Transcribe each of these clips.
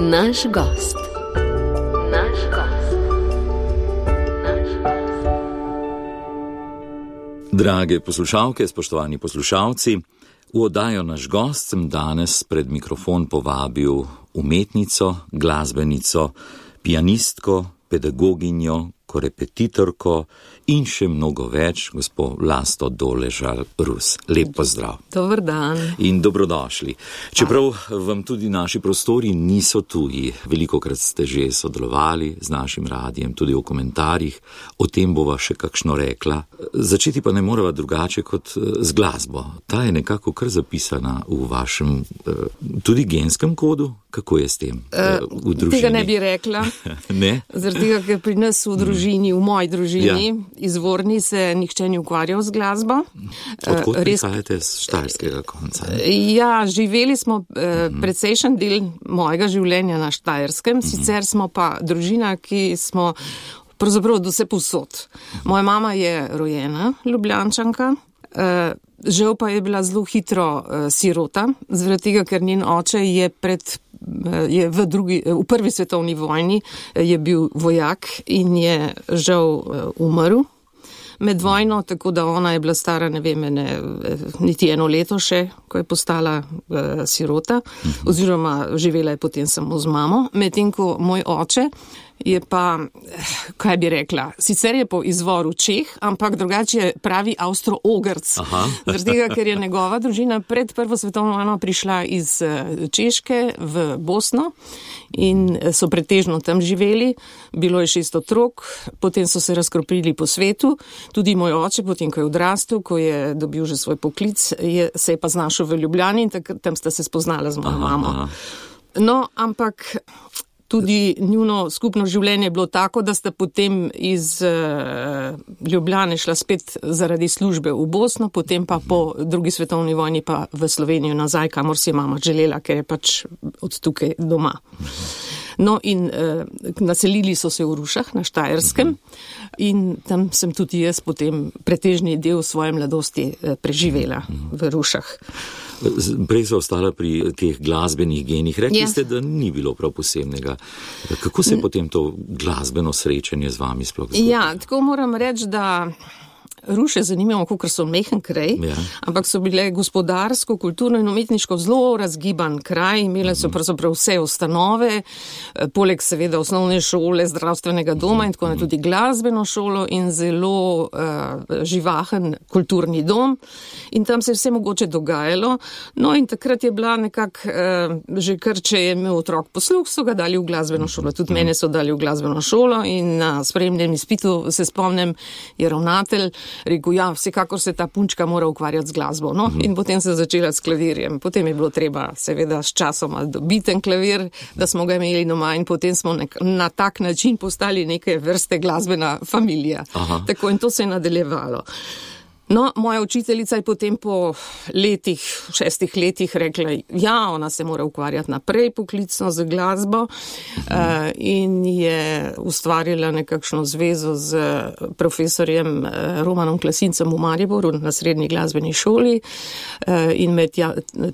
Naš gost. Drage poslušalke, spoštovani poslušalci, v oddajo Naš gost sem danes pred mikrofon povabil umetnico, glasbenico, pianistko, pedagoginjo, korepetitorko in še mnogo več, gospo Vlasto Doležal-Rus. Lep pozdrav. Dober dan. In dobrodošli. Čeprav vam tudi naši prostori niso tuji, velikokrat ste že sodelovali z našim radijem, tudi v komentarjih, o tem bova še kakšno rekla. Začeti pa ne morava drugače kot z glasbo. Ta je nekako kar zapisana v vašem tudi genskem kodu. Kako je s tem v družini? Tega ne bi rekla. Ne? Zaradi tega, ker pri nas v družini, v moji družini, izvorni se nihče ni ukvarjal z glasbo. Odkot prihajate z štajerskega konca? Ja, živeli smo precejšen del mojega življenja na Štajerskem, sicer smo pa družina, ki smo pravzaprav od vse povsod. Moja mama je rojena Ljubljančanka, žal pa je bila zelo hitro sirota, zaradi tega, ker njen oče je v prvi svetovni vojni je bil vojak in je žal umrl med vojno, tako da ona je bila stara, ne vem, niti eno leto še, ko je postala sirota, oziroma živela je potem samo z mamo, medtem ko moj oče je pa, kaj bi rekla, sicer je po izvoru Čeh, ampak drugače je pravi Avstro-Ogrc. Zaradi tega, ker je njegova družina pred prvo svetovno vojno prišla iz Češke v Bosno in so pretežno tam živeli. Bilo je 6 otrok, potem so se razkropili po svetu. Tudi moj oče, potem ko je odrastel, ko je dobil že svoj poklic, se je pa znašel v Ljubljani in tam sta se spoznala z mojo mamo. No, ampak tudi njuno skupno življenje je bilo tako, da sta potem iz Ljubljane šla spet zaradi službe v Bosno, potem pa po drugi svetovni vojni pa v Slovenijo nazaj, kamor si je mama želela, ker je pač od tukaj doma. No in naselili so se v Rušah na Štajerskem in tam sem tudi jaz potem pretežni del svoje mladosti preživela v Rušah. Prej so ostala pri teh glasbenih genih. Rekli ste, da ni bilo prav posebnega. Kako se je potem to glasbeno srečanje z vami sploh zgodilo? Ja, tako moram reči, da Ruše zanimivo, kakor so mehen kraj, ampak so bile gospodarsko, kulturno in umetniško zelo razgiban kraj, imele so pravzaprav vse ustanove, poleg seveda osnovne šole, zdravstvenega doma in tako tudi glasbeno šolo in zelo živahen kulturni dom in tam se je vse mogoče dogajalo. No in takrat je bila nekako, že kar če je imel otrok posluh, so ga dali v glasbeno šolo. Tudi mene so dali v glasbeno šolo in na sprejemnem izpitu se spomnim, je ravnatelj rekel, ja, vsekakor se ta punčka mora ukvarjati z glasbo. No? In potem se začela s klavirjem. Potem je bilo treba seveda s časoma dobiti klavir, da smo ga imeli doma in potem smo na tak način postali neke vrste glasbena familija. Tako in to se je nadaljevalo. No, moja učiteljica je potem po 6 letih rekla, ja, ona se mora ukvarjati naprej poklicno z glasbo in je ustvarila nekakšno zvezo z profesorjem Romanom Klasincem v Mariboru na srednji glasbeni šoli in me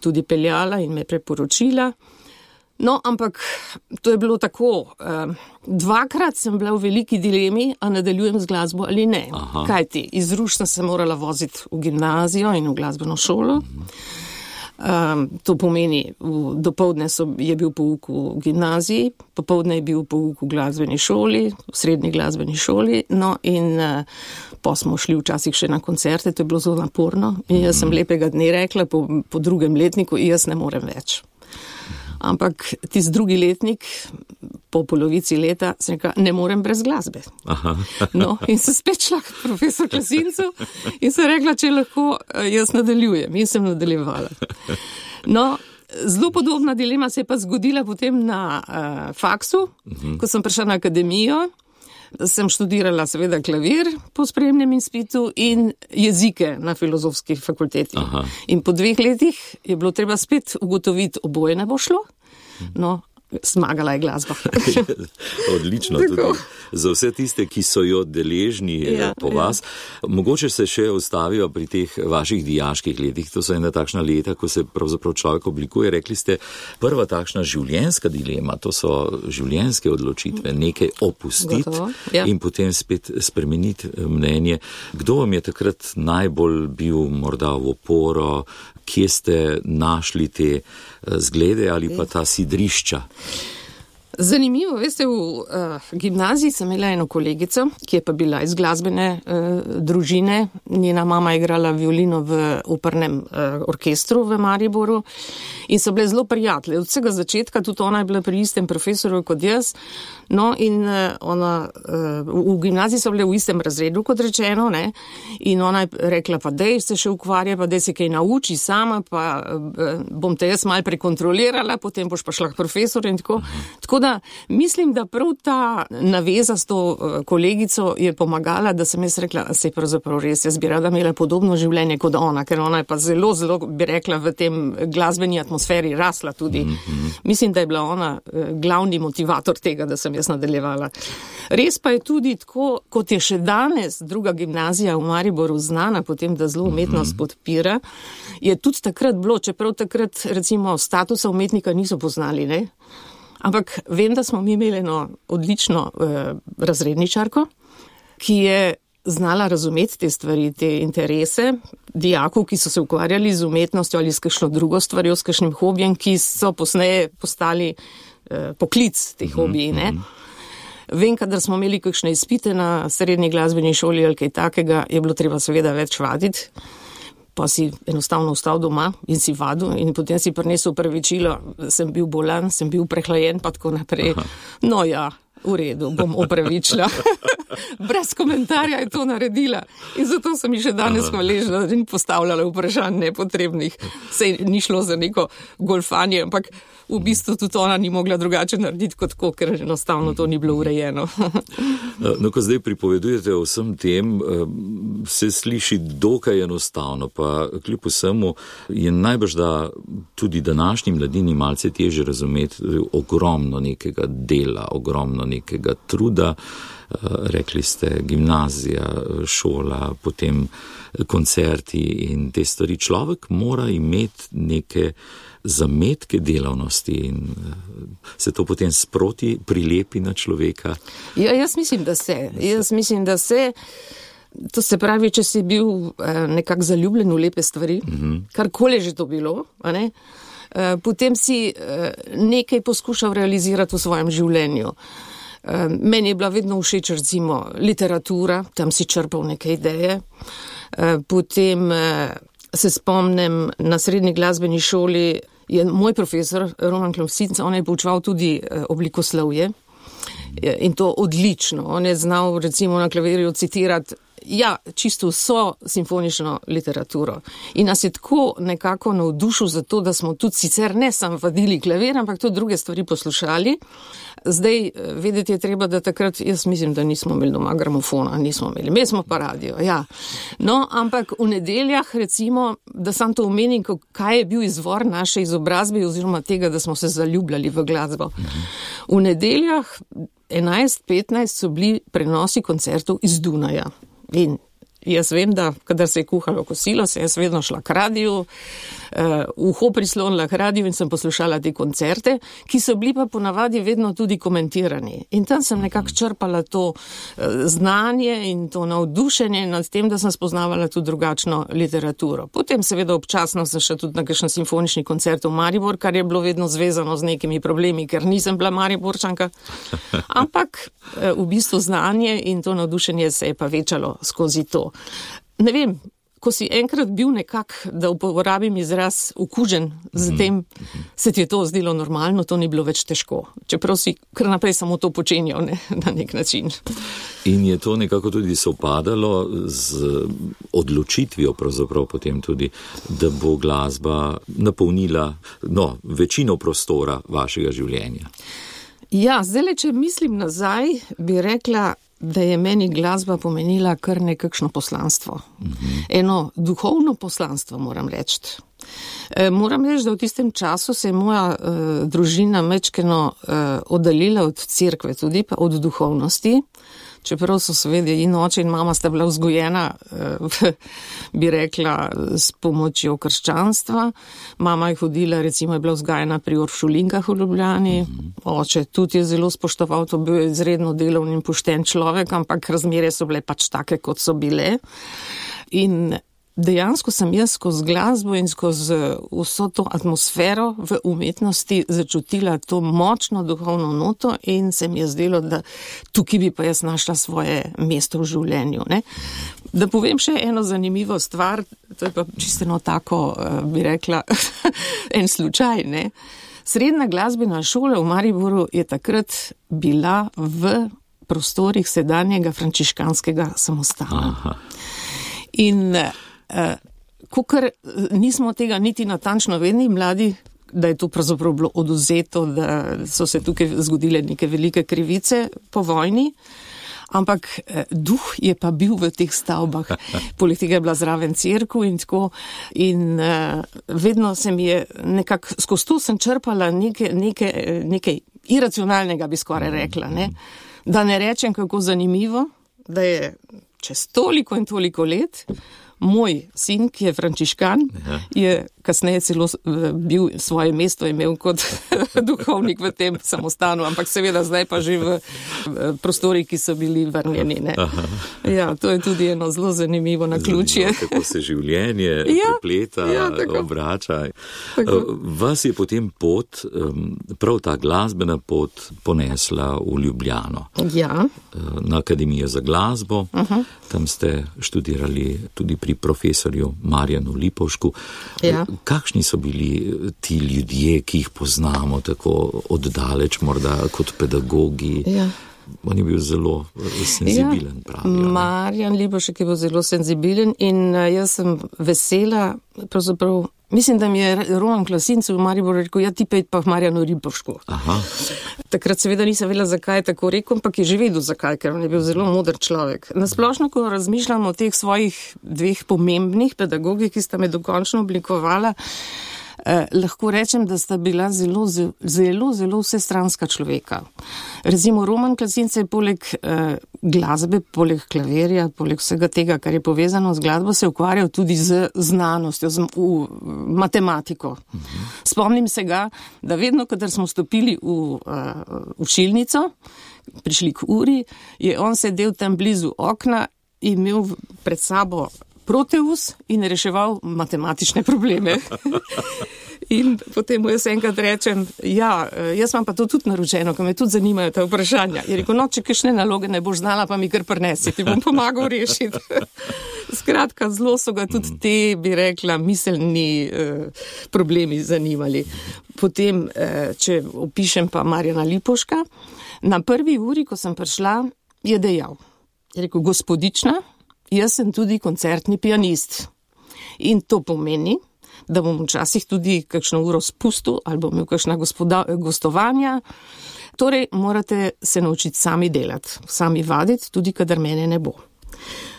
tudi peljala in me preporočila. No, ampak to je bilo tako. Dvakrat sem bila v veliki dilemi, a nadaljujem z glasbo ali ne. Kajti, iz Ruš sem se morala voziti v gimnazijo in v glasbeno šolo. To pomeni, dopoldne je bil pouk v gimnaziji, popoldne je bil pouk v glasbeni šoli, v srednji glasbeni šoli, no in pa smo šli včasih še na koncerte, to je bilo zelo naporno in jaz sem lepega dne rekla po drugem letniku, jaz ne morem več. Ampak tisti drugi letnik, po polovici leta, sem rekla, ne morem brez glasbe. No, in sem spet šla k profesor Klasincu in sem rekla, če lahko jaz nadaljujem. In sem nadaljevala. No, zelo podobna dilema se je pa zgodila potem na faksu, ko sem prišla na akademijo. Sem študirala seveda klavir po sprejemnem izpitu in jezike na filozofski fakulteti. In po 2 letih je bilo treba spet ugotoviti, oboje ne bo šlo. No, Zmagala je glasba. Odlično, tudi za vse tiste, ki so jo deležni po vas. Mogoče se še ostavijo pri teh vaših dijaških letih. To so ena takšna leta, ko se pravzaprav človek oblikuje. Rekli ste, prva takšna življenjska dilema, to so življenjske odločitve, nekaj opustiti in potem spet spremeniti mnenje. Kdo vam je takrat najbolj bil morda v oporo? Kje ste našli te zglede ali pa ta sidrišča? Zanimivo, veste, v gimnaziji sem imela eno kolegico, ki je pa bila iz glasbene družine. Njena mama je igrala violino v opernem orkestru v Mariboru in so bile zelo prijatelje. Od vsega začetka, tudi ona je bila pri istem profesorju kot jaz. No in ona, v gimnaziji so bile v istem razredu, kot rečeno, ne, in ona je rekla, pa dej se še ukvarja, pa dej se kaj nauči sama, pa bom te jaz malo prekontrolirala, potem boš pa šla k profesorju in tako. Tako da mislim, da prav ta naveza s to kolegico je pomagala, da sem jaz rekla, se je pravzaprav res, jaz bi rada imela podobno življenje kot ona, ker ona je pa zelo, zelo, bi rekla, v tem glasbeni atmosferi rasla tudi. Mislim, da je bila ona glavni motivator tega, da sem jaz nadaljevala. Res pa je tudi tako, kot je še danes druga gimnazija v Mariboru znana, potem, da zelo umetnost podpira, je tudi takrat bilo, čeprav takrat recimo statusa umetnika niso poznali, ne? Ampak vem, da smo mi imeli eno odlično razredničarko, ki je znala razumeti te stvari, te interese dijakov, ki so se ukvarjali z umetnostjo ali s kakšno drugo stvarjo, s kakšnim hobijem, ki so posneje postali poklic teh hobiji, ne. Vem, kadar smo imeli kakšne izpite na srednji glasbeni šoli ali kaj takega, je bilo treba seveda več vaditi, pa si enostavno ostal doma in si vadil in potem si prinesel opravičilo, sem bil bolan, sem bil prehlajen, pa tako naprej. No ja, v redu, bom opravičila. Brez komentarja je to naredila in zato sem mi še danes hvaležna, da ni postavljala vprašanj nepotrebnih. Sej ni šlo za neko golfanje, ampak v bistvu tudi ona ni mogla drugače narediti kot tako, ker enostavno to ni bilo urejeno. No, ko zdaj pripovedujete o vsem tem, se sliši dokaj enostavno, pa kljub vsemu je najbrž, da tudi današnji mladini malce težje razumeti ogromno nekega dela, ogromno nekega truda. Rekli ste gimnazija, šola, potem koncerti in te stvari. Človek mora imeti neke zametke delavnosti in se to potem sproti prilepi na človeka. Ja, jaz mislim, da se. To se pravi, če si bil nekako zaljubljen v lepe stvari, karkoli že to bilo, a ne? Potem si nekaj poskušal realizirati v svojem življenju. Meni je bila vedno všeč recimo literatura, tam si črpal neke ideje. Potem se spomnim, na srednji glasbeni šoli je moj profesor Roman Klopsinc, on je poučeval tudi oblikoslovje in to odlično. On je znal recimo na klavirju citirati čisto vso simfonično literaturo. In nas je tako nekako navdušil za to, da smo tudi sicer ne samo vadili klavir, ampak tudi druge stvari poslušali. Zdaj, vedeti je treba, da takrat, jaz mislim, da nismo imeli doma gramofona, imeli smo pa radio, ja. No, ampak v nedeljah, recimo, da sam to omenim, kaj je bil izvor naše izobrazbe oziroma tega, da smo se zaljubljali v glasbo. V nedeljah 11-15 so bili prenosi koncertov iz Dunaja. In jaz vem, da kadar se je kuhalo kosilo, se je vedno šla k radiju, uho prislonila k radiju in sem poslušala te koncerte, ki so bili pa ponavadi vedno tudi komentirani. In tam sem nekako črpala to znanje in to navdušenje nad tem, da sem spoznavala tudi drugačno literaturo. Potem seveda občasno sem še tudi na kakšen simfonični koncert v Maribor, kar je bilo vedno zvezano z nekimi problemi, ker nisem bila Mariborčanka. Ampak v bistvu znanje in to navdušenje se je pa večalo skozi to. Ne vem, ko si enkrat bil nekak, da uporabim izraz okužen z tem, se ti je to zdelo normalno, to ni bilo več težko. Čeprav si kar naprej samo to počenjal, ne, na nek način. In je to nekako tudi sovpadalo z odločitvijo pravzaprav potem tudi, da bo glasba napolnila večino prostora vašega življenja. Ja, zdaj, če mislim nazaj, bi rekla, da je meni glasba pomenila kar nekakšno poslanstvo. Eno duhovno poslanstvo, moram reči. Moram reči, da v tistem času se je moja družina mečkeno oddaljila od cerkve, tudi pa od duhovnosti. Čeprav so seveda in oče in mama sta bila vzgojena, bi rekla, s pomočjo krščanstva. Mama je hodila, recimo je bila vzgajena pri Uršulinkah v Ljubljani. Oče tudi je zelo spoštoval, to bil izredno delovni in pošten človek, ampak razmere so bile pač take, kot so bile. In dejansko sem jaz skozi glasbo in skozi vso to atmosfero v umetnosti začutila to močno duhovno noto in se mi je zdelo, da tukaj bi pa jaz našla svoje mesto v življenju. Ne? Da povem še eno zanimivo stvar, to je pa čisteno tako, bi rekla, en slučaj. Ne? Srednja glasbena šola v Mariboru je takrat bila v prostorih sedanjega frančiškanskega samostana. Aha. In kakor nismo tega niti natančno vedeli, mladi, da je to pravzaprav bilo oduzeto, da so se tukaj zgodile neke velike krivice po vojni, ampak duh je pa bil v teh stavbah. Poleg tega je bila zraven cerkev in tako. In vedno se mi je nekako, skozi to sem črpala nekaj iracionalnega, bi skoraj rekla. Ne? Da ne rečem, kako zanimivo, da je čez toliko in toliko let moj sin, ki je frančiškan, je kasneje celo bil svoje mesto imel kot duhovnik v tem samostanu, ampak seveda zdaj pa že v prostori, ki so bili vrnjeni. Ne. Ja, to je tudi eno zelo zanimivo naključje. Kako se življenje prepleta, obrača. Vas je potem pot, prav ta glasbena pot, ponesla v Ljubljano. Ja. Na Akademijo za glasbo. Tam ste študirali tudi pri profesorju Marjanu Lipovšku. Ja. Kakšni so bili ti ljudje, ki jih poznamo tako oddaleč, morda kot pedagogi? Ja. On je bil zelo senzibilen, pravijo. Marjan Lipovšek je bil zelo senzibilen in jaz sem vesela, pravzaprav, mislim, da mi je Roman Klasinc v Mariboru rekel, ja, ti pejt pa v Marjanu Lipovšku. Aha. Takrat seveda nisem vedela, zakaj je tako rekel, ampak je že vedel zakaj, ker on je bil zelo moder človek. Nasplošno, ko razmišljam o teh svojih dveh pomembnih pedagogih, ki sta me dokončno oblikovala, lahko rečem, da sta bila zelo vsestranska človeka. Recimo Roman Klasinc je poleg glasbe, poleg klavirja, poleg vsega tega, kar je povezano z glasbo, se ukvarjal tudi z znanostjo, z matematiko. Spomnim se ga, da vedno, kadar smo stopili v učilnico, prišli k uri, je on sedel tam blizu okna in imel pred sabo Proteus in reševal matematične probleme. In potem mu jaz enkrat rečem, ja, jaz vam pa to tudi naročeno, ko me tudi zanimajo ta vprašanja. Je rekel, no, če kakšne naloge ne boš znala, pa mi kar prinesi, ti bom pomagal rešiti. Skratka, zelo so ga tudi te, bi rekla, miselni problemi zanimali. Potem, če opišem pa Marjana Lipovška, na prvi uri, ko sem prišla, je dejal, je rekel, gospodična, jaz sem tudi koncertni pianist. In to pomeni, da bom včasih tudi kakšno uro spustil ali bom imel kakšna gostovanja. Torej, morate se naučiti sami delati, sami vaditi, tudi kadar mene ne bo.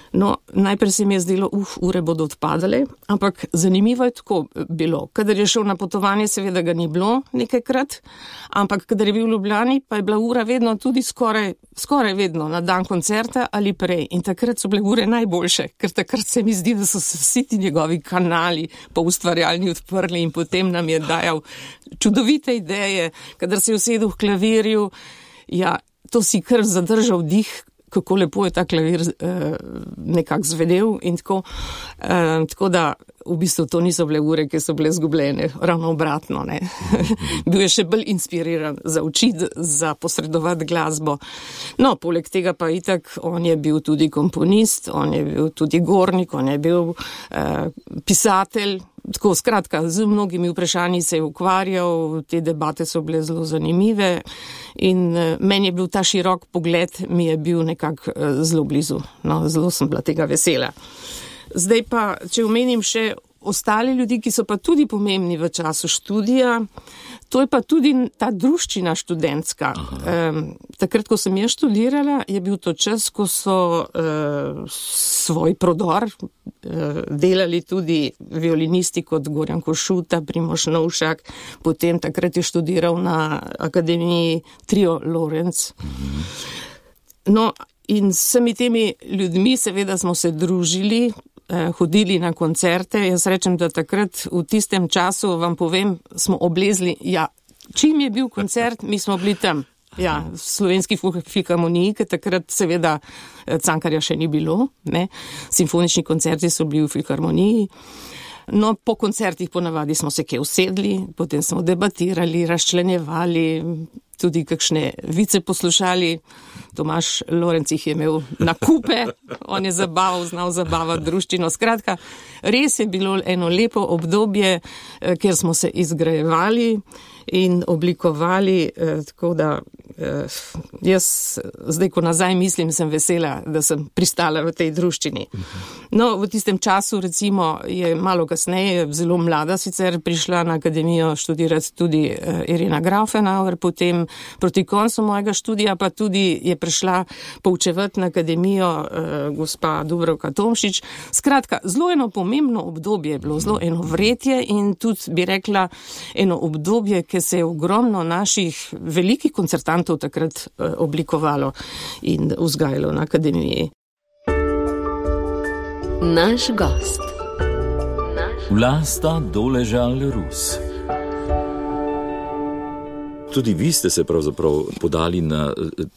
No, najprej se mi je zdelo, ure bodo odpadale, ampak zanimivo je tako bilo. Kadar je šel na potovanje, seveda ga ni bilo nekajkrat, ampak kadar je bil v Ljubljani, pa je bila ura vedno tudi skoraj vedno na dan koncerta ali prej. In takrat so bile ure najboljše, ker takrat se mi zdi, da so se vsi ti njegovi kanali po ustvarjalni odprli in potem nam je dajal čudovite ideje. Kadar se je usedel v klavirju, ja, to si kar zadržal dih, kako lepo je ta klavir nekako zvedel in tako. Tako da v bistvu to niso bile ure, ki so bile zgubljene, ravno obratno. Ne? Bil je še bolj inspiriran za učiti, za posredovati glasbo. No, poleg tega pa itak, on je bil tudi komponist, on je bil tudi gornik, on je bil pisatelj. Tako, skratka, z mnogimi vprašanji se je ukvarjal, te debate so bile zelo zanimive in meni je bil ta širok pogled, mi je bil nekako zelo blizu. No, zelo sem bila tega vesela. Zdaj pa, če omenim še ostali ljudi, ki so pa tudi pomembni v času študija, To je pa tudi ta druščina študentska. Takrat, ko sem jaz študirala, je bil to čas, ko so svoj prodor delali tudi violinisti kot Gorjan Košuta, Primož Novšak, potem takrat je študiral na Akademiji Trio Lorenz. No, in s vsemi temi ljudmi seveda smo se družili, hodili na koncerte. Jaz rečem, da takrat v tistem času, vam povem, smo oblezli, čim je bil koncert, mi smo bili tam. V Slovenski filharmoniji, ker takrat seveda Cankarja še ni bilo, ne. Simfonični koncerti so bili v filharmoniji. No, po koncertih ponavadi smo se kje usedli, potem smo debatirali, razčlenjevali, tudi kakšne vice poslušali. Tomaž Lorenc jih je imel na kupe, on je znal zabavati druščino. Skratka, res je bilo eno lepo obdobje, kjer smo se izgrajevali in oblikovali, tako da jaz zdaj, ko nazaj mislim, sem vesela, da sem pristala v tej druščini. No, v tistem času, recimo, je malo kasneje, zelo mlada sicer, prišla na akademijo študirati tudi Irena Grafenauer, potem proti koncu mojega študija pa tudi je prišla poučevati na akademijo gospa Dubravka Tomšič. Skratka, zelo eno pomembno obdobje je bilo, zelo eno vretje in tudi bi rekla eno obdobje, ki se je ogromno naših velikih koncertantov takrat oblikovalo in vzgajalo na akademiji. Naš gost. Vlasta Doležal Rus. Tudi vi ste se pravzaprav podali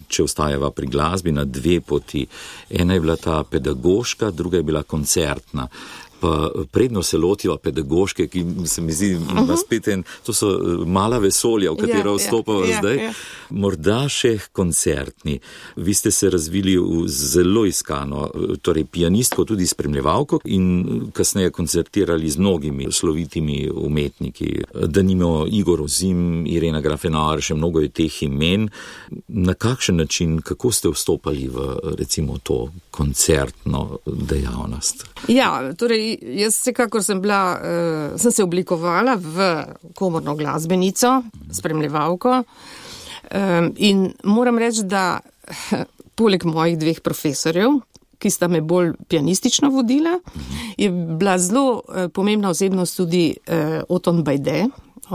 če ostajava pri glasbi, na dve poti. Ena je bila ta pedagoška, druga je bila koncertna. Pa predno se lotiva pedagoške, ki se mi zdi, spet to so mala vesolja, v katero vstopava zdaj. Morda še koncertni. Vi ste se razvili v zelo iskano, torej pianistko, tudi spremljevalko in kasneje koncertirali z mnogimi slovitimi umetniki. Denimo Igor Ozim, Irena Grafenauer, še mnogo je teh imen. Na kakšen način, kako ste vstopali v, recimo, to koncertno dejavnost? Torej, jaz vsekakor sem se oblikovala v komorno glasbenico, spremljevalko, in moram reči, da poleg mojih dveh profesorjev, ki sta me bolj pianistično vodila, je bila zelo pomembna osebnost tudi Oton Bajde.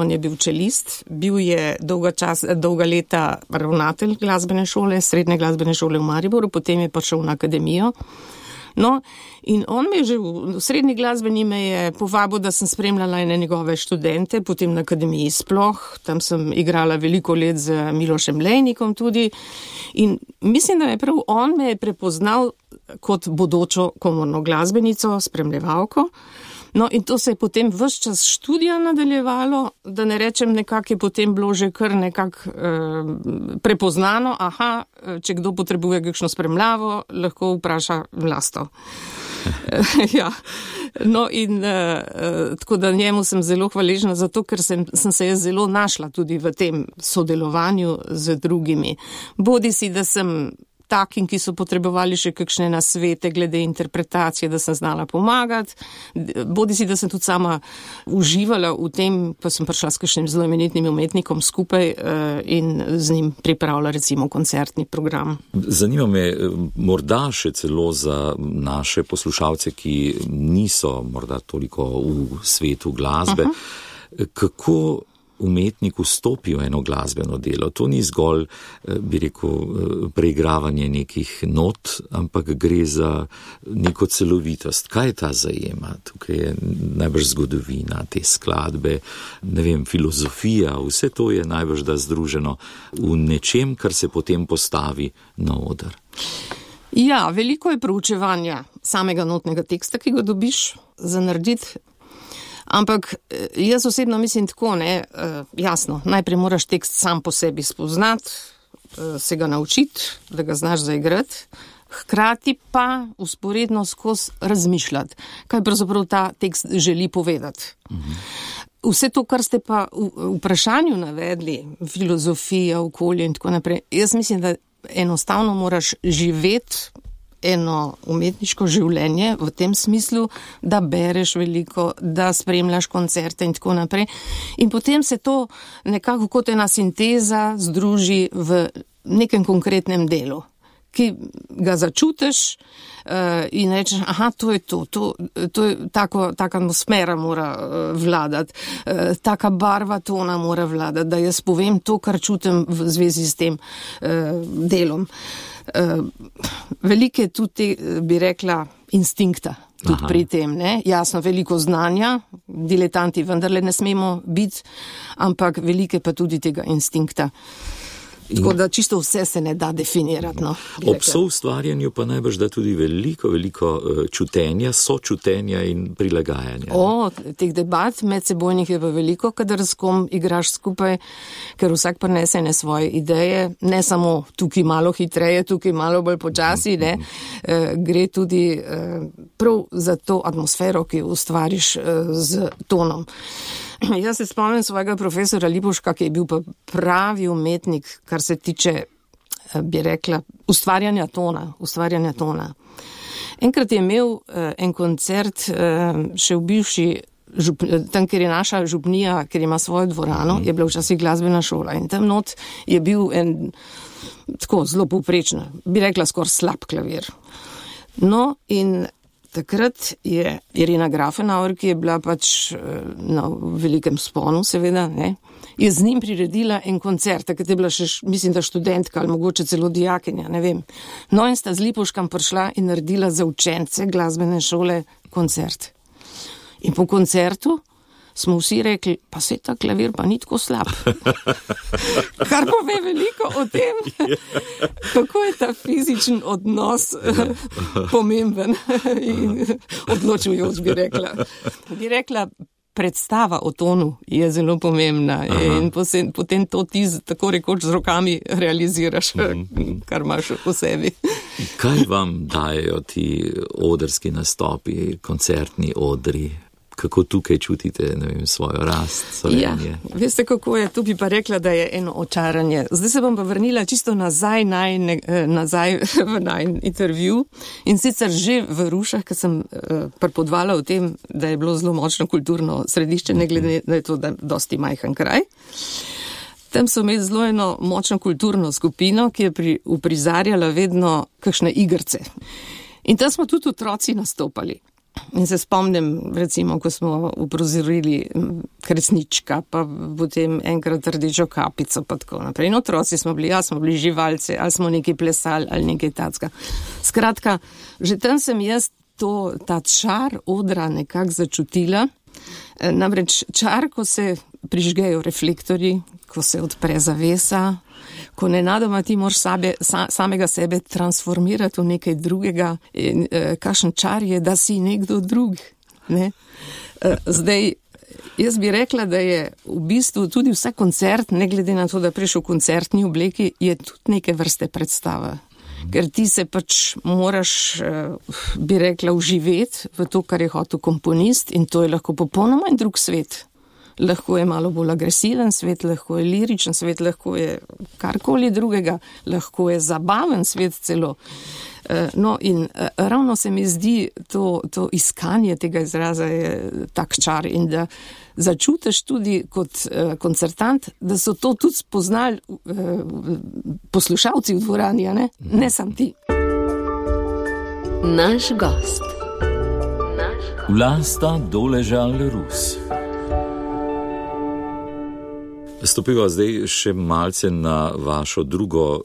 On je bil čelist, bil je dolga leta ravnatelj glasbene šole, srednje glasbene šole v Mariboru, potem je prišel na akademijo. No, in on me že v srednji glasbeni me je povabil, da sem spremljala ene njegove študente, potem na akademiji sploh, tam sem igrala veliko let z Milošem Lejnikom tudi in mislim, da je prav on me je prepoznal kot bodočo komorno glasbenico, spremljevalko. No, in to se je potem ves čas študija nadaljevalo, da ne rečem, nekako je potem bilo že kar nekako prepoznano, če kdo potrebuje kakšno spremljavo, lahko vpraša Vlasto. No, in tako da njemu sem zelo hvaležna za to, ker sem se jaz zelo našla tudi v tem sodelovanju z drugimi. Bodisi, da sem takim, ki so potrebovali še kakšne nasvete glede interpretacije, da sem znala pomagati, bodisi, da sem tudi sama uživala v tem, pa sem prišla s kakšnim zelo imenitnim umetnikom skupaj in z njim pripravila recimo koncertni program. Zanima me morda še celo za naše poslušalce, ki niso morda toliko v svetu glasbe, kako umetnik vstopi v eno glasbeno delo. To ni zgolj, bi rekel, preigravanje nekih not, ampak gre za neko celovitost. Kaj ta zajema? Tukaj je najbrž zgodovina, te skladbe, ne vem, filozofija, vse to je najbrž da združeno v nečem, kar se potem postavi na oder. Veliko je proučevanja samega notnega teksta, ki ga dobiš za narediti. Ampak jaz osebno mislim tako, jasno, najprej moraš tekst sam po sebi spoznati, se ga naučiti, da ga znaš zaigrati, hkrati pa vzporedno skozi razmišljati, kaj pravzaprav ta tekst želi povedati. Vse to, kar ste pa v vprašanju navedli, filozofija, okolje in tako naprej, jaz mislim, da enostavno moraš živeti eno umetniško življenje v tem smislu, da bereš veliko, da spremljaš koncerte in tako naprej. In potem se to nekako kot ena sinteza združi v nekem konkretnem delu, ki ga začutiš in rečeš, aha, to je taka atmosfera mora vladati, taka barva tona mora vladati, da jaz povem to, kar čutim v zvezi s tem delom. Veliko je tudi, bi rekla, instinkta tudi pri tem, ne? Jasno, veliko znanja, diletanti vendarle ne smemo biti, ampak veliko pa tudi tega instinkta. Tako da čisto vse se ne da definirati. No, ob soustvarjanju pa najbrž da tudi veliko čutenja, sočutenja in prilagajanja. Teh debat medsebojnih je pa veliko, kadar s kom igraš skupaj, ker vsak prinese ne svoje ideje, ne samo tukaj malo hitreje, tukaj malo bolj počasi, ne, gre tudi prav za to atmosfero, ki ustvariš z tonom. Jaz se spomnim svojega profesora Lipovška, ki je bil pa pravi umetnik, kar se tiče, bi rekla, ustvarjanja tona. Enkrat je imel en koncert še v bivši, tam, kjer je naša župnija, kjer ima svojo dvorano, je bila včasih glasbena šola in tam not je bil en tako zelo povprečen, bi rekla skoraj slab klavir. No in takrat je Irena Grafenauer, ki je bila pač na velikem sponu, seveda, ne, je z njim priredila en koncert, takrat je bila še, mislim, da študentka ali mogoče celo dijakinja, ne vem. No in sta z Lipovškom prišla in naredila za učence glasbene šole koncert. In po koncertu smo vsi rekli, pa se ta klavir pa ni tako slab. Kar pove veliko o tem, kako je ta fizičen odnos pomemben in odločujoč, bi rekla. Bi rekla, predstava o tonu je zelo pomembna. In potem to ti tako rekoč z rokami realiziraš, kar imaš v sebi. Kaj vam dajo ti odrski nastopi, koncertni odri? Kako tukaj čutite, ne vem, svojo rast, solenje? Ja, veste, kako je, tu bi pa rekla, da je eno očaranje. Zdaj se bom pa vrnila čisto nazaj v najin intervju in sicer že v Rušah, ker sem prepodvala o tem, da je bilo zelo močno kulturno središče, ne glede na to, da je dosti majhen kraj. Tam so imeli zelo eno močno kulturno skupino, ki je uprizarjala vedno kakšne igrce. In tam smo tudi otroci nastopali. In se spomnim, recimo, ko smo uprizorili Kresnička, pa potem enkrat Rdečo kapico, pa tako naprej. In otroci smo bili živalci, ali smo nekaj plesali, ali nekaj tacka. Skratka, že tam sem jaz ta čar odra nekako začutila. Namreč čar, ko se prižgejo reflektorji, ko se odpre zavesa, ko nenadoma ti moraš samega sebe transformirati v nekaj drugega, in kakšen čar je, da si nekdo drug. Ne? Zdaj, jaz bi rekla, da je v bistvu tudi vsak koncert, ne glede na to, da prišel v koncertni obleki, je tudi neke vrste predstava. Ker ti se pač moraš, bi rekla, vživeti v to, kar je hotel komponist, in to je lahko popolnoma in drug svet. Lahko je malo bolj agresiven svet, lahko je liričen svet, lahko je karkoli drugega, lahko je zabaven svet celo. No in ravno se mi zdi to iskanje tega izraza je tak čar in da začutiš tudi kot koncertant, da so to tudi spoznali poslušalci v dvorani, ne sam ti. Naš gost. Vlasta Doležal Rus. Stopiva zdaj še malce na vašo drugo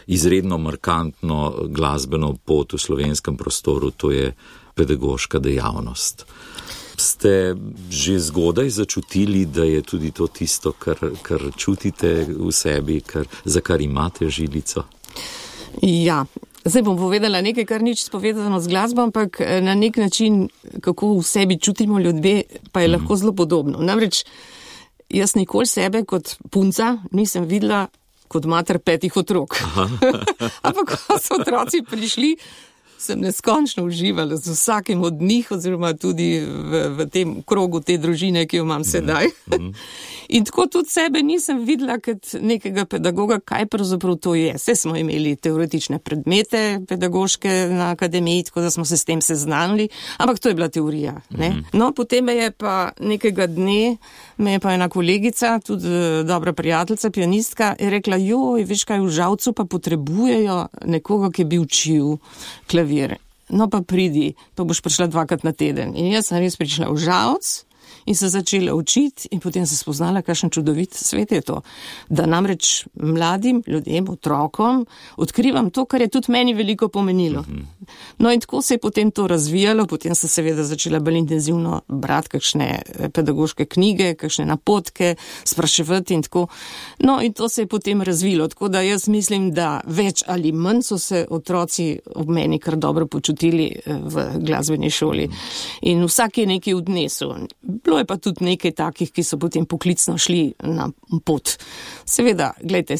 izredno markantno glasbeno pot v slovenskem prostoru, to je pedagoška dejavnost. Ste že zgodaj začutili, da je tudi to tisto, kar čutite v sebi, za kar imate žilico? Ja, zdaj bom povedala nekaj, kar nič spovedano z glasbo, ampak na nek način, kako v sebi čutimo ljudje, pa je lahko zelo podobno. Namreč, jaz nikoli sebe kot punca nisem videla kot mater 5 otrok. Ampak ko so otroci prišli, sem neskončno uživala z vsakim od njih, oziroma tudi v tem krogu te družine, ki jo imam sedaj. In tako tudi sebe nisem videla kot nekega pedagoga, kaj pravzaprav to je. Vse smo imeli teoretične predmete pedagoške na akademiji, tako da smo se s tem seznanili, ampak to je bila teorija. Ne? No, potem je pa nekega dne, me je pa ena kolegica, tudi dobra prijateljica, pianistka, je rekla, joj, veš kaj, v Žalcu pa potrebujejo nekoga, ki bi učil klavir. No pa pridi, pa boš prišla 2krat na teden. In jaz sem res prišla v Žalc in se začela učiti in potem se spoznala, kakšen čudovit svet je to. Da namreč mladim ljudem, otrokom, odkrivam to, kar je tudi meni veliko pomenilo. No in tako se je potem to razvijalo, potem sem seveda začela bolj intenzivno brati kakšne pedagoške knjige, kakšne napotke, spraševati in tako. No in to se je potem razvilo, tako da jaz mislim, da več ali manj so se otroci ob meni kar dobro počutili v glasbeni šoli. In vsak je nekaj odnesel. Bilo je pa tudi nekaj takih, ki so potem poklicno šli na pot. Seveda, gledajte,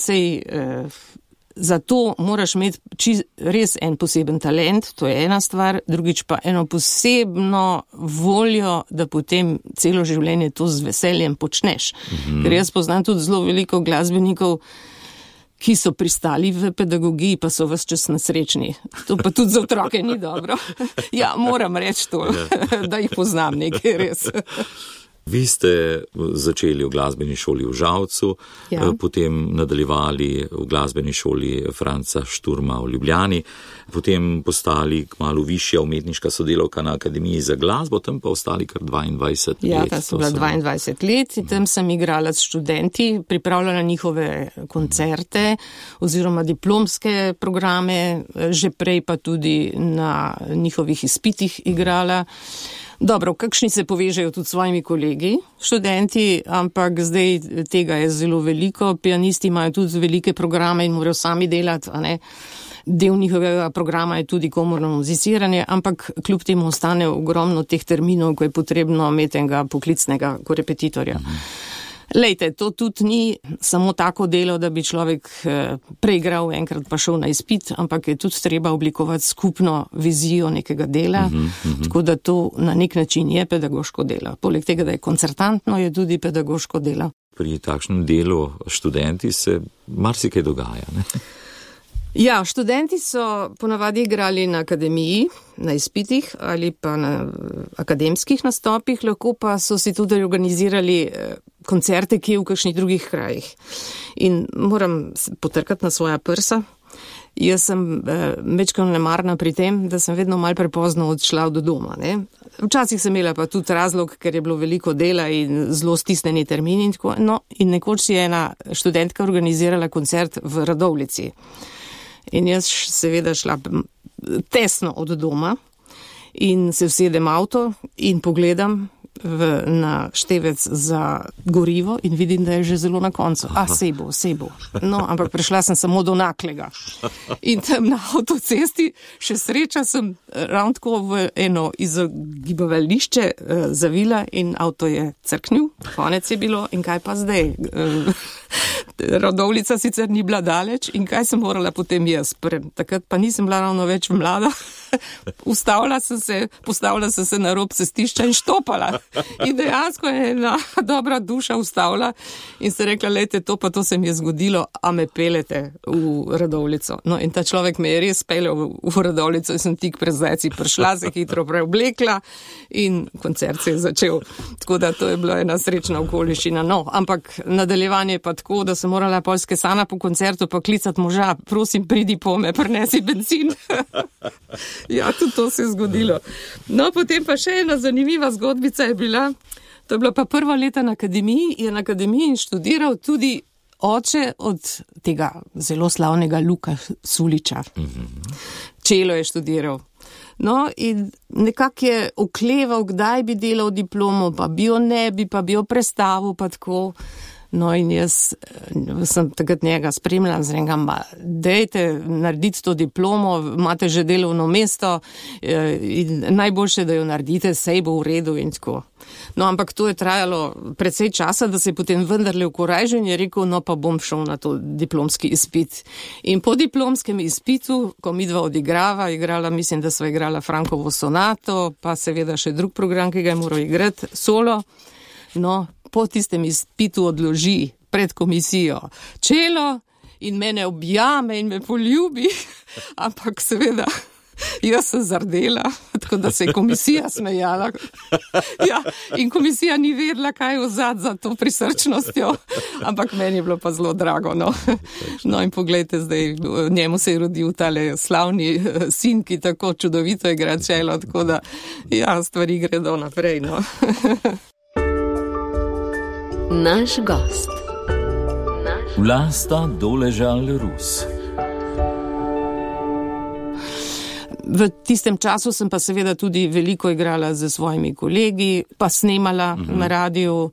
za to moraš imeti res en poseben talent, to je ena stvar, drugič pa eno posebno voljo, da potem celo življenje to z veseljem počneš. Ker jaz poznam tudi zelo veliko glasbenikov, ki so pristali v pedagogiji, pa so ves čas nesrečni. To pa tudi za otroke ni dobro. Ja, moram reči to, da jih poznam nekaj res. Vi ste začeli v glasbeni šoli v Žalcu, potem nadaljevali v glasbeni šoli Franca Šturma v Ljubljani, potem postali kmalu višja umetniška sodelavka na Akademiji za glasbo, tam pa ostali kar 22 let. Ja, tam sem bila 22 let in tam sem igrala s študenti, pripravljala njihove koncerte oziroma diplomske programe, že prej pa tudi na njihovih izpitih igrala. Dobro, kakšni se povežejo tudi s svojimi kolegi, študenti, ampak zdaj tega je zelo veliko. Pianisti imajo tudi velike programe in morajo sami delati, a ne. Del njihovega programa je tudi komorno muziciranje, ampak kljub temu ostane ogromno teh terminov, ko je potrebno imeti enega poklicnega korepetitorja. Lejte, to tudi ni samo tako delo, da bi človek preigral enkrat pa šel na izpit, ampak je tudi treba oblikovati skupno vizijo nekega dela, tako da to na nek način je pedagoško delo. Poleg tega, da je koncertantno, je tudi pedagoško delo. Pri takšnem delu študenti se marsikaj dogaja, ne? Ja, študenti so ponavadi igrali na akademiji, na izpitih ali pa na akademskih nastopih, lahko pa so si tudi organizirali koncerte, ki je v kakšnih drugih krajih. In moram potrkati na svoja prsa. Jaz sem mečkano nemarna pri tem, da sem vedno malo prepozno odšla do doma. Ne? Včasih sem imela pa tudi razlog, ker je bilo veliko dela in zelo stisneni termini in tako. No, in nekoč si je ena študentka organizirala koncert v Radovljici. In jaz seveda šla tesno od doma in se usedem avto in pogledam na števec za gorivo in vidim, da je že zelo na koncu. Sej bo. No, ampak prišla sem samo do Naklega. In tam na avtocesti še sreča sem ravno tako v eno izogibavališče zavila in avto je crknil. Konec je bilo in kaj pa zdaj? Radovljica sicer ni bila daleč in kaj sem morala potem jaz? Takrat pa nisem bila ravno več mlada. Postavila sem se na rob cestišča in štopala. In dejansko je ena dobra duša ustavila in se rekla, lejte, to se mi je zgodilo, a me pelete v Radovljico. No in ta človek me je res peljal v Radovljico in sem tik pred zdajci prišla, se hitro preoblekla in koncert se je začel. Tako da to je bila ena srečna okoliščina. No, ampak nadaljevanje pa tako, da sem morala Poljske Sana po koncertu pa klicati moža, prosim, pridi po me, prinesi bencin. Ja, tudi to se je zgodilo. No, potem pa še ena zanimiva zgodbica je bila, to je bila pa prva leta na akademiji, je na akademiji študiral tudi oče od tega zelo slavnega Luka Suliča. Čelo je študiral. No, in nekako je okleval, kdaj bi delal diplomo, pa bi jo ne bi, pa bi jo prestavil, pa tako. No in jaz sem takrat njega spremljala, zrengam, dejte narediti to diplomo, imate že delovno mesto in najboljše, da jo naredite, sej bo v redu in tako. No, ampak to je trajalo precej časa, da se je potem vendarle ukorajžil in je rekel, no pa bom šel na to diplomski izpit. In po diplomskem izpitu, ko midva igrala, mislim, da sva igrala Frankovo sonato, pa seveda še drug program, ki ga je moral igrati, solo. No, po tistem izpitu odloži pred komisijo čelo in mene objame in me poljubi, ampak seveda jaz sem zardela, tako da se je komisija smejala. Ja, in komisija ni vedela, kaj je vzad za to prisrčnostjo, ampak meni je bilo pa zelo drago. No in poglejte, zdaj njemu se je rodil tale slavni sin, ki tako čudovito igra čelo, tako da ja, stvari gredo naprej. No. Naš gost. Vlasta Doležal Rus. V tistem času sem pa seveda tudi veliko igrala z svojimi kolegi, pa snemala na radiju.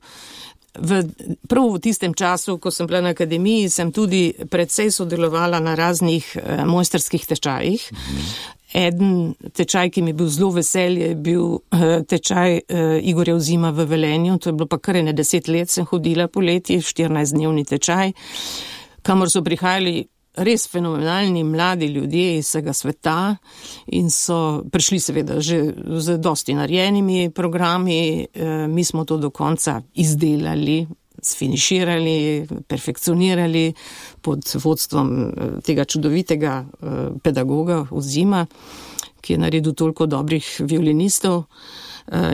Prav v tistem času, ko sem bila na akademiji, sem tudi predvsej sodelovala na raznih mojstrskih tečajih. Eden tečaj, ki mi je bil zelo veselje, je bil tečaj Igorja Ozima v Velenju. To je bilo pa kar 10 let, sem hodila poleti, 14-dnevni tečaj, kamor so prihajali res fenomenalni mladi ljudje iz vsega sveta in so prišli seveda že z dosti narejenimi programi. Mi smo to do konca izdelali, sfiniširali, perfekcionirali pod vodstvom tega čudovitega pedagoga Ozima, ki je naredil toliko dobrih violinistov.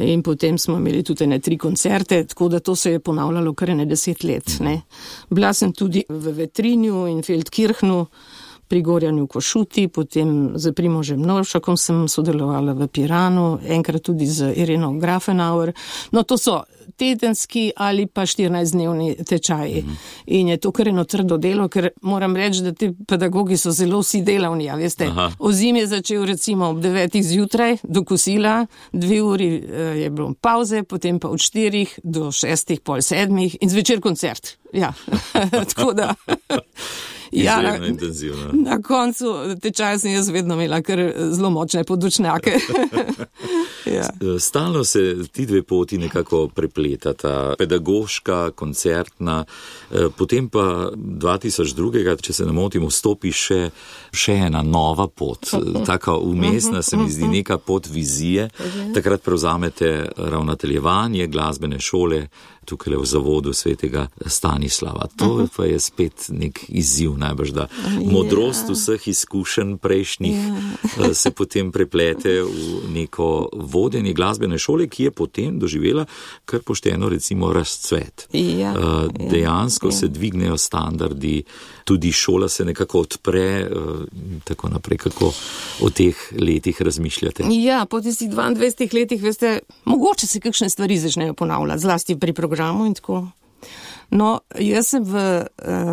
In potem smo imeli tudi 3 koncerte, tako da to se je ponavljalo kar 10 let. Ne. Bila sem tudi v Vetrinju in Feldkirchnu, pri Gorjanu Košuti, potem z Primožem Novšakom sem sodelovala v Piranu, enkrat tudi z Ireno Grafenauer. No, to so tedenski ali pa 14-dnevni tečaji. In je to kar eno trdo delo, ker moram reči, da ti pedagogi so zelo vsi delavni, a veste. Ozim je začel recimo ob 9 zjutraj do kosila, 2 uri je bilo pauze, potem pa od 4 do 6, pol 7 in zvečer koncert. Ja, tako da... Ja, na koncu tečaja sem jaz vedno imela kar zelo močne podočnjake. Ja. Stalno se ti dve poti nekako prepletata, pedagoška, koncertna, potem pa 2002, če se ne motim, vstopi še ena nova pot, taka umestna, se mi zdi neka pot vizije. Takrat prevzamete ravnateljevanje glasbene šole tukaj v zavodu svetega Stanislava. To pa je spet nek izziv, najbrž, da modrost vseh izkušenj prejšnjih se potem preplete v neko vodenje glasbene šole, ki je potem doživela kar pošteno recimo razcvet. Dejansko se dvignejo standardi, tudi šola se nekako odpre, tako naprej, kako o teh letih razmišljate. Ja, po tistih 22 letih, veste, mogoče se kakšne stvari začnejo ponavljati, zlasti pri programu in tako. No, jaz sem v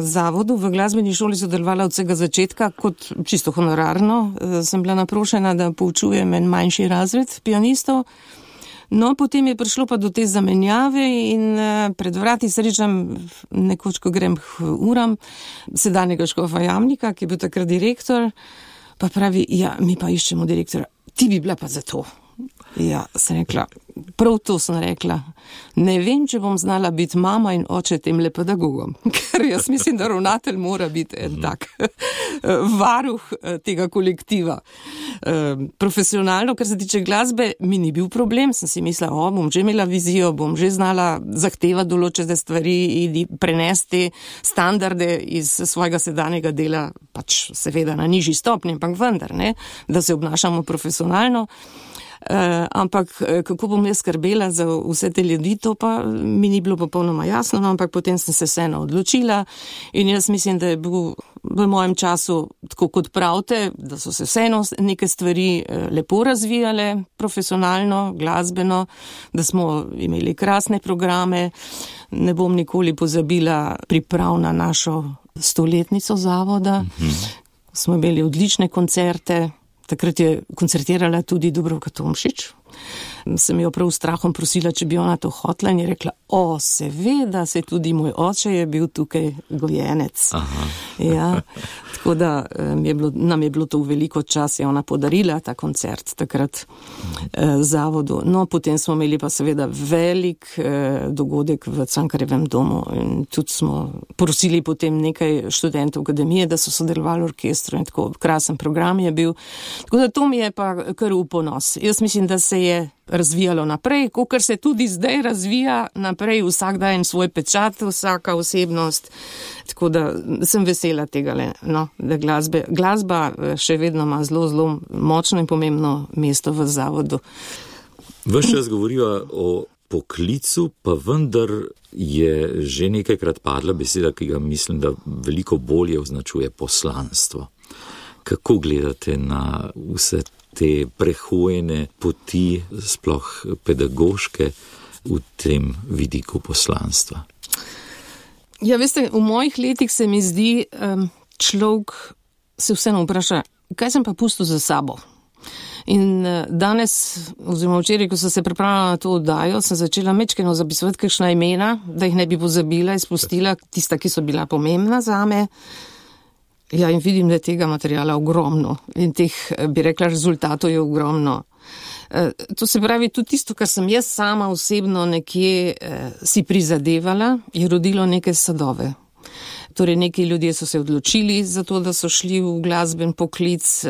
zavodu, v glasbeni šoli sodelovala od vsega začetka, kot čisto honorarno. Sem bila naprošena, da poučujem en manjši razred pianistov. No, potem je prišlo pa do te zamenjave in pred vrati srečam nekoč, ko grem k uram, sedanjega škofa Jamnika, ki je bil takrat direktor, pa pravi, ja, mi pa iščemo direktora, ti bi bila pa za to. Ja, sem rekla, prav to sem rekla, ne vem, če bom znala biti mama in oče temle pedagogom, ker jaz mislim, da ravnatelj mora biti en tak varuh tega kolektiva. Profesionalno, kar se tiče glasbe, mi ni bil problem, sem si mislila, bom že imela vizijo, bom že znala zahtevati določene stvari in prenesti standarde iz svojega sedanjega dela, pač seveda na nižji stopnji, ampak vendar, ne, da se obnašamo profesionalno. Ampak kako bom jaz skrbela za vse te ljudi, to pa mi ni bilo popolnoma jasno, no, ampak potem sem se vseeno odločila in jaz mislim, da je bil v mojem času, tako kot pravite, da so se vseeno neke stvari lepo razvijale, profesionalno, glasbeno, da smo imeli krasne programe. Ne bom nikoli pozabila priprav na našo 100-letnico zavoda. Smo imeli odlične koncerte, Takrat je koncertirala tudi Dubravka Tomšič. Sem jo prav strahom prosila, če bi ona to hotla in je rekla, seveda, se tudi moj oče je bil tukaj gojenec. Ja, tako da nam je bilo to v veliko čas, je ona podarila ta koncert takrat zavodu. No, potem smo imeli pa seveda velik dogodek v Cankarjevem domu in tudi smo prosili potem nekaj študentov akademije, da so sodelovali v orkestru in tako krasen program je bil. Tako da to mi je pa kar v ponos. Jaz mislim, da se je razvijalo naprej, kakor se tudi zdaj razvija naprej, vsak daje svoj pečat, vsaka osebnost, tako da sem vesela tega, da glasba še vedno ima zelo, zelo močno in pomembno mesto v zavodu. Ves čas govoriva o poklicu, pa vendar je že nekajkrat padla beseda, ki ga mislim, da veliko bolje označuje poslanstvo. Kako gledate na vse te prehojene poti, sploh pedagoške, v tem vidiku poslanstva? Ja, veste, v mojih letih se mi zdi, človek se vseeno vpraša, kaj sem pa pustil za sabo? In danes, oziroma včeraj, ko sem se pripravila na to oddajo, sem začela mečkeno zapisovati kakšna imena, da jih ne bi pozabila, izpustila tista, ki so bila pomembna zame. Ja, in vidim, da je tega materijala ogromno in teh, bi rekla, rezultatov je ogromno. To se pravi, tudi tisto, kar sem jaz sama osebno nekje si prizadevala, je rodilo neke sadove. Torej, neki ljudje so se odločili za to, da so šli v glasben poklic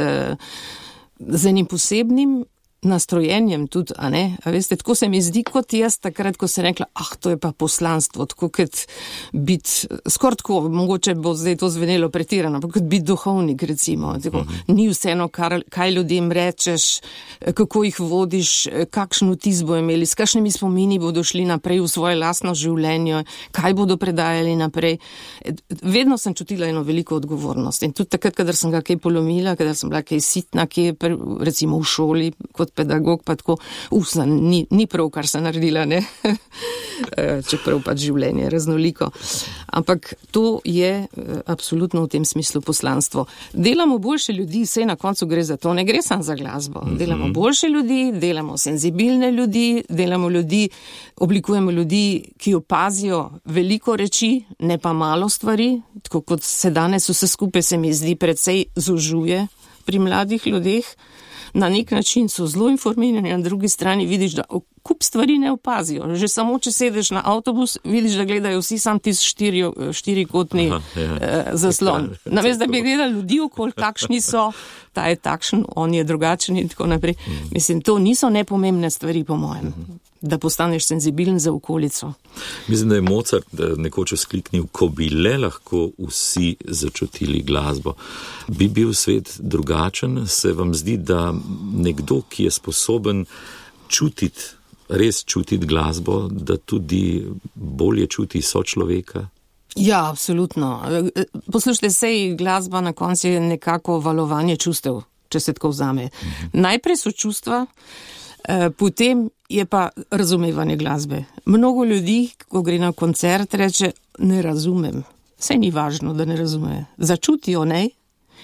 z enim posebnim nastrojenjem tudi, a ne? A veste, tako se mi zdi kot jaz takrat, ko sem rekla, to je pa poslanstvo, tako kot biti, skoraj tako, mogoče bo zdaj to zvenelo pretirano, ampak kot biti duhovnik, recimo. Tako, ni vseeno, kaj ljudem rečeš, kako jih vodiš, kakšen vtis bo imeli, s kakšnimi spomini bodo šli naprej v svoje lastno življenje, kaj bodo predajali naprej. Vedno sem čutila eno veliko odgovornost in tudi takrat, kadar sem ga kaj polomila, kadar sem bila kaj sitna, recimo v šoli, kot pedagog, pa tako, ni prav, kar sem naredila, ne? Čeprav pač življenje je raznoliko. Ampak to je absolutno v tem smislu poslanstvo. Delamo boljše ljudi, saj na koncu gre za to, ne gre samo za glasbo. Delamo boljše ljudi, delamo senzibilne ljudi, oblikujemo ljudi, ki opazijo veliko reči, ne pa malo stvari, tako kot se danes vse skupaj se mi zdi precej zožuje pri mladih ljudeh. Na nek način so zelo informirani, na drugi strani vidiš, da kup stvari ne opazijo. Že samo, če sedeš na avtobus, vidiš, da gledajo vsi sam tisti štirikotni zaslon. Namesto, da bi gledali ljudi okoli, kakšni so, ta je takšen, on je drugačen in tako naprej. Mislim, to niso nepomembne stvari, po mojem, da postaneš senzibilen za okolico. Mislim, da je Mozart nekoč vzkliknil, ko bi le lahko vsi začutili glasbo. Bi bil svet drugačen? Se vam zdi, da nekdo, ki je sposoben res čutiti glasbo, da tudi bolje čuti sočloveka? Ja, absolutno. Poslušajte, sej glasba na koncu je nekako valovanje čustev, če se tako vzame. Najprej so čustva, potem je pa razumevanje glasbe. Mnogo ljudi, ko gre na koncert, reče, ne razumem. Saj ni važno, da ne razume. Začutijo, ne?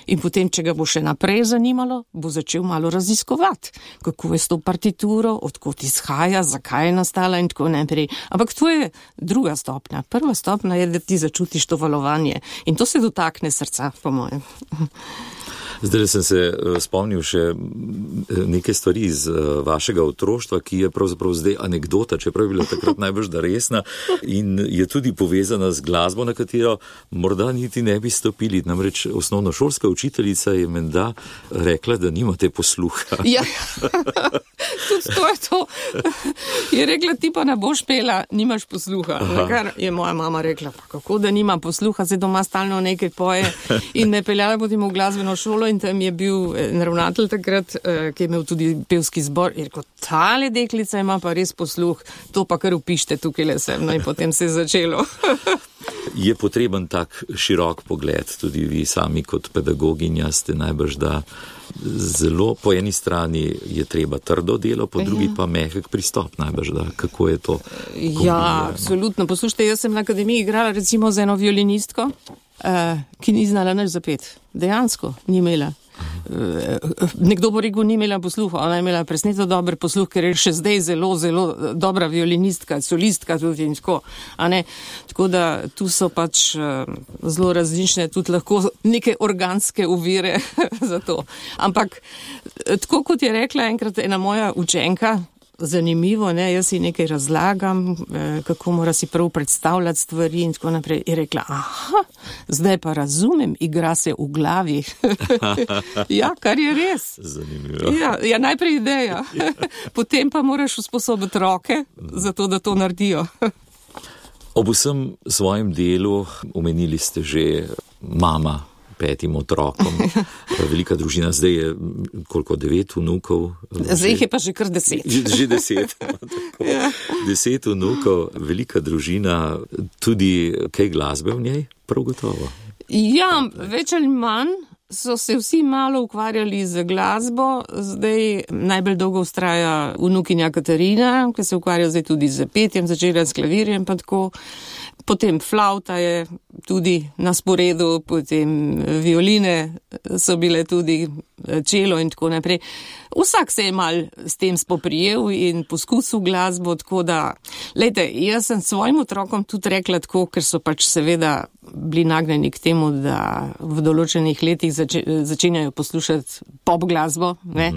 In potem, če ga bo še naprej zanimalo, bo začel malo raziskovati, kako je s to partituro, odkot izhaja, zakaj je nastala in tako naprej. Ampak to je druga stopnja. Prva stopnja je, da ti začutiš to valovanje. In to se dotakne srca, po mojem. Zdaj sem se spomnil še nekaj stvari iz vašega otroštva, ki je pravzaprav zdaj anekdota, čeprav je bila takrat najbrž da resna in je tudi povezana z glasbo, na katero morda niti ne bi stopili. Namreč osnovnošolska učiteljica je menda rekla, da nimate posluha. Ja, tudi to je to. Je rekla, ti pa ne boš pela, nimaš posluha. Kar je moja mama rekla, pa kako da nima posluha, se doma stalno nekaj poje in me peljala potem v glasbeno šolo in tam je bil ravnatelj takrat, ki je imel tudi pevski zbor, in rekel, tale deklica ima pa res posluh, to pa kar upište tukaj le sem, no in potem se je začelo. Je potreben tak širok pogled, tudi vi sami kot pedagoginja ste najbrž, da zelo po eni strani je treba trdo delo, po drugi pa mehek pristop najbrž, da kako je to kombinirano. Ja, absolutno. Poslušajte, jaz sem na akademiji igrala recimo z eno violinistko, ki ni znala nič zapeti. Dejansko ni imela. Nekdo bo rekel, ni imela posluha, ona je imela presneto dober posluh, ker je še zdaj zelo, zelo dobra violinistka, solistka tudi in tako. Tako da tu so pač zelo različne, tudi lahko neke organske ovire za to. Ampak tako kot je rekla enkrat ena moja učenka, zanimivo, jaz si nekaj razlagam, kako mora si prav predstavljati stvari in tako naprej. Je rekla, zdaj pa razumem, igra se v glavi. Ja, kar je res. Zanimivo. Ja, najprej ideja. Potem pa moraš usposobiti roke, zato da to naredijo. Ob vsem svojem delu omenili ste že mama 5 otrokom. Velika družina, zdaj je koliko, 9 vnukov? Zdaj jih je pa že kar 10. Že 10. Ja. 10 vnukov, velika družina, tudi kaj glasbe v njej? Prav gotovo. Ja, več ali manj so se vsi malo ukvarjali z glasbo. Zdaj najbolj dolgo vztraja vnukinja Katarina, ki se ukvarja zdaj tudi z petjem, začela s klavirjem pa tako. Potem flauta je tudi na sporedu, potem violine so bile tudi, čelo in tako naprej. Vsak se je mal s tem spoprijel in poskusil glasbo, tako da, lejte, jaz sem svojim otrokom tudi rekla tako, ker so pač seveda bili nagnjeni k temu, da v določenih letih začenjajo poslušati pop glasbo, ne?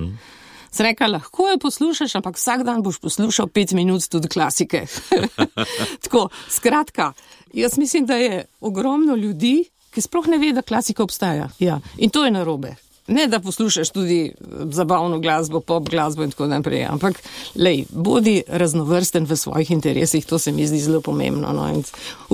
Sem rekla, lahko jo poslušaš, ampak vsak dan boš poslušal 5 minut tudi klasike. Tako, skratka, jaz mislim, da je ogromno ljudi, ki sploh ne ve, da klasika obstaja. Ja. In to je narobe. Ne, da poslušaš tudi zabavno glasbo, pop glasbo in tako naprej, ampak bodi raznovrsten v svojih interesih, to se mi zdi zelo pomembno. No? In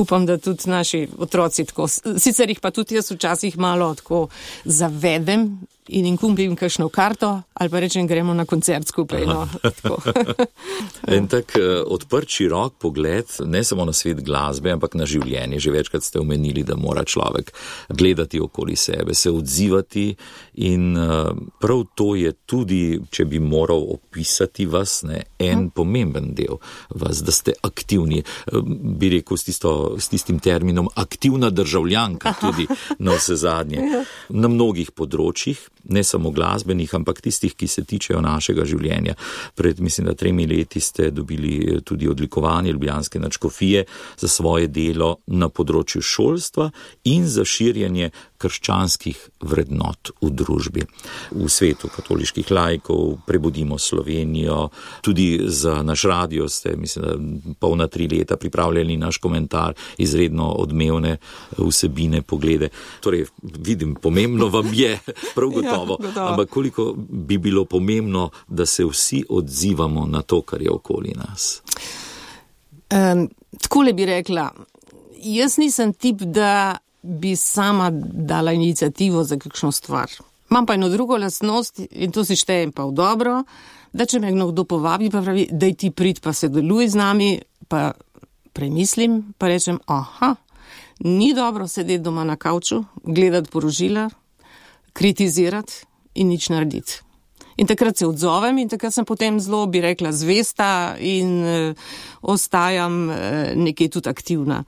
upam, da tudi naši otroci tako, sicer jih pa tudi jaz včasih malo tako zavedem in jim kupim kakšno karto, ali pa rečem, gremo na koncert skupaj. No? En tak odprt, širok pogled, ne samo na svet glasbe, ampak na življenje. Že večkrat ste omenili, da mora človek gledati okoli sebe, se odzivati in prav to je tudi, če bi moral opisati vas, en pomemben del vas, da ste aktivni. Bi rekel s tistim terminom aktivna državljanka tudi na vse zadnje. Na mnogih področjih, ne samo glasbenih, ampak tistih, ki se tičejo našega življenja. Pred, mislim, da 3 leti ste dobili tudi odlikovanje Ljubljanske nadškofije za svoje delo na področju šolstva in za širjenje krščanskih vrednot v družbi. V svetu katoliških laikov Prebudimo Slovenijo, tudi za naš radio ste, mislim, da polna 3 leta pripravljali naš komentar, izredno odmevne vsebine, poglede. Torej, vidim, pomembno vam je, prav gotovo, ampak koliko bi bilo pomembno, da se vsi odzivamo na to, kar je okoli nas? Takole bi rekla, jaz nisem tip, da bi sama dala inicijativo za kakšno stvar. Imam pa eno drugo lastnost in to si štejem pa v dobro, da če me kdo povabi, pa pravi, daj ti prid pa sodeluj z nami, pa premislim, pa rečem, ni dobro sedeti doma na kavču, gledati porožila, kritizirati in nič narediti. In takrat se odzovem in takrat sem potem zelo, bi rekla, zvesta in ostajam nekje tudi aktivna.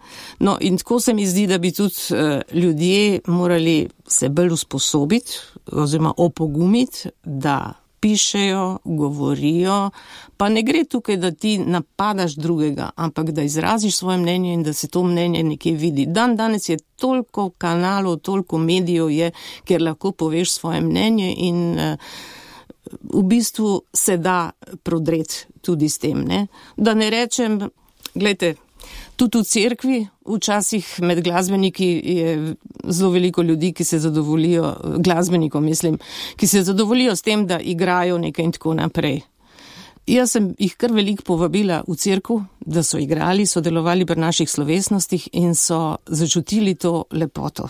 No in tako se mi zdi, da bi tudi ljudje morali se bolj usposobiti oziroma opogumiti, da pišejo, govorijo, pa ne gre tukaj, da ti napadaš drugega, ampak da izraziš svoje mnenje in da se to mnenje nekje vidi. Danes je toliko kanalov, toliko medijev je, kjer lahko poveš svoje mnenje in v bistvu se da prodreti tudi s tem, ne? Da ne rečem, gledajte, tudi v cerkvi, včasih med glasbeniki je zelo veliko ljudi, ki se zadovoljijo, glasbenikom mislim, ki se zadovoljijo s tem, da igrajo nekaj in tako naprej. Jaz sem jih kar veliko povabila v cerkev, da so igrali, sodelovali pri naših slovesnostih in so začutili to lepoto.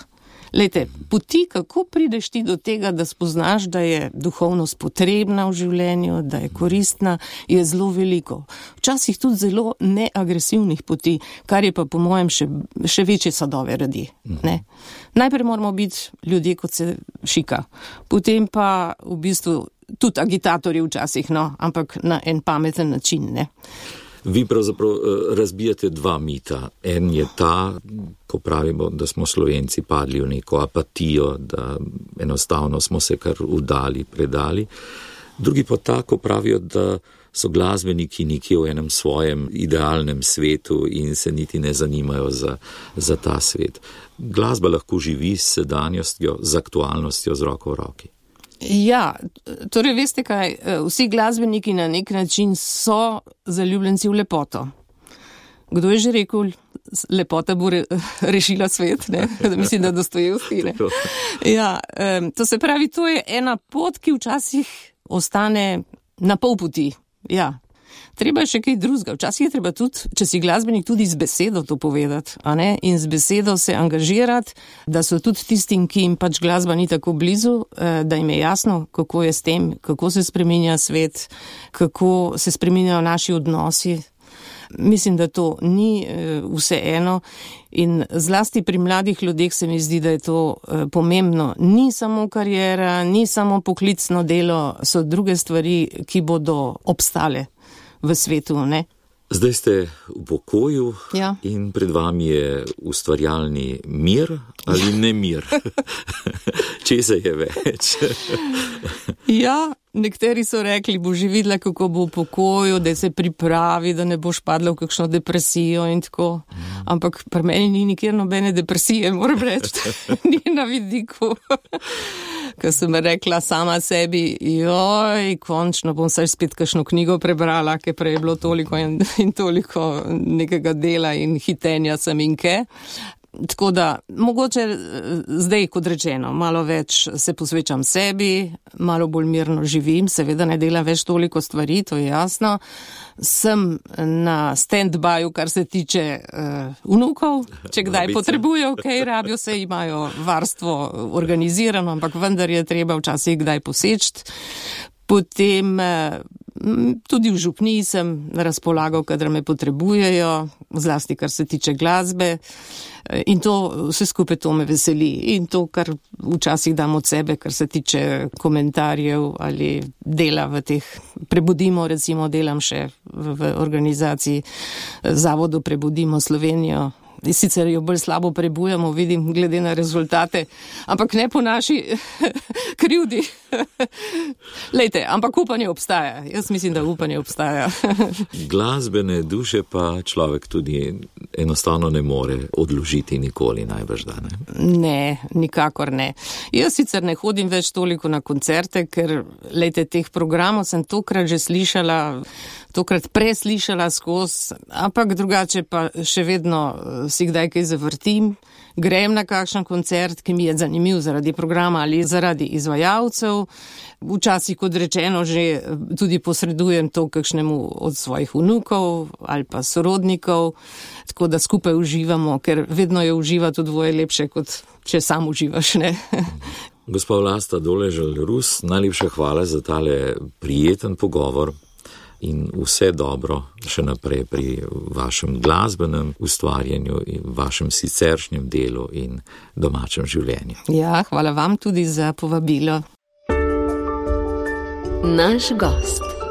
Lejte, poti, kako prideš ti do tega, da spoznaš, da je duhovnost potrebna v življenju, da je koristna, je zelo veliko. Včasih tudi zelo neagresivnih poti, kar je pa po mojem še večje sadove radi. Ne? Najprej moramo biti ljudje, kot se šika. Potem pa v bistvu tudi agitatorji včasih, no, ampak na en pameten način, ne. Vi pravzaprav razbijate dva mita. En je ta, ko pravimo, da smo Slovenci padli v neko apatijo, da enostavno smo se kar vdali, predali. Drugi pa ta, ko pravijo, da so glasbeniki nekje v enem svojem idealnem svetu in se niti ne zanimajo za ta svet. Glasba lahko živi s sedanjostjo, z aktualnostjo, z roko v roki. Ja, torej veste kaj, vsi glasbeniki na nek način so zaljubljenci v lepoto. Kdo je že rekel, lepota bo rešila svet, ne? Mislim, da Dostojevski, ne? Ja, to se pravi, to je ena pot, ki včasih ostane na pol poti. Ja, treba je še kaj drugega. Včasih je treba tudi, če si glasbenik, tudi z besedo to povedati, a ne? In z besedo se angažirati, da so tudi tistim, ki jim pač glasba ni tako blizu, da jim je jasno, kako je s tem, kako se spreminja svet, kako se spreminjajo naši odnosi. Mislim, da to ni vse eno in zlasti pri mladih ljudeh se mi zdi, da je to pomembno. Ni samo karijera, ni samo poklicno delo, so druge stvari, ki bodo obstale v svetu, ne? Zdaj ste v pokoju, ja. In pred vami je ustvarjalni mir ali nemir. Česa je več? Ja, nekateri so rekli, bo že videla, kako bo v pokoju, da se pripravi, da ne boš padla v kakšno depresijo in tako. Ampak pri meni ni nikjer nobene depresije, moram reči, ni na vidiku. Ko sem rekla sama sebi, joj, končno bom saj spet kakšno knjigo prebrala, ker prej je bilo toliko in toliko nekega dela in hitenja sem in ke. Tako da, mogoče zdaj, kot rečeno, malo več se posvečam sebi, malo bolj mirno živim, seveda ne delam več toliko stvari, to je jasno. Sem na stand-byu, kar se tiče vnukov, če kdaj potrebujejo, kaj rabijo, se imajo varstvo organizirano, ampak vendar je treba včasih kdaj poseči. Potem tudi v župniji sem na razpolago, kadar me potrebujejo, zlasti kar se tiče glasbe. In to, vse skupaj to me veseli. In to, kar včasih dam od sebe, kar se tiče komentarjev ali dela v teh, Prebudimo, recimo, delam še v organizaciji Zavodu Prebudimo Slovenijo. Sicer jo bolj slabo prebujamo, vidim, glede na rezultate, ampak ne po naši krivdi. Lejte, ampak upanje obstaja. Jaz mislim, da upanje obstaja. Glasbene duše pa človek tudi enostavno ne more odložiti nikoli, najbrž da, ne? Ne, nikakor ne. Jaz sicer ne hodim več toliko na koncerte, ker, lejte, teh programov sem tokrat že slišala, tokrat preslišala skozi, ampak drugače pa še vedno si kdaj kaj zavrtim, grem na kakšen koncert, ki mi je zanimiv zaradi programa ali zaradi izvajalcev. Včasih, kot rečeno, že tudi posredujem to kakšnemu od svojih vnukov ali pa sorodnikov, tako da skupaj uživamo, ker vedno je uživati v dvoje lepše, kot če sam uživaš, ne? Gospa Vlasta Doležal-Rus, najlepša hvala za tale prijeten pogovor. In vse dobro še naprej pri vašem glasbenem ustvarjanju in vašem siceršnjem delu in domačem življenju. Ja, hvala vam tudi za povabilo. Naš gost.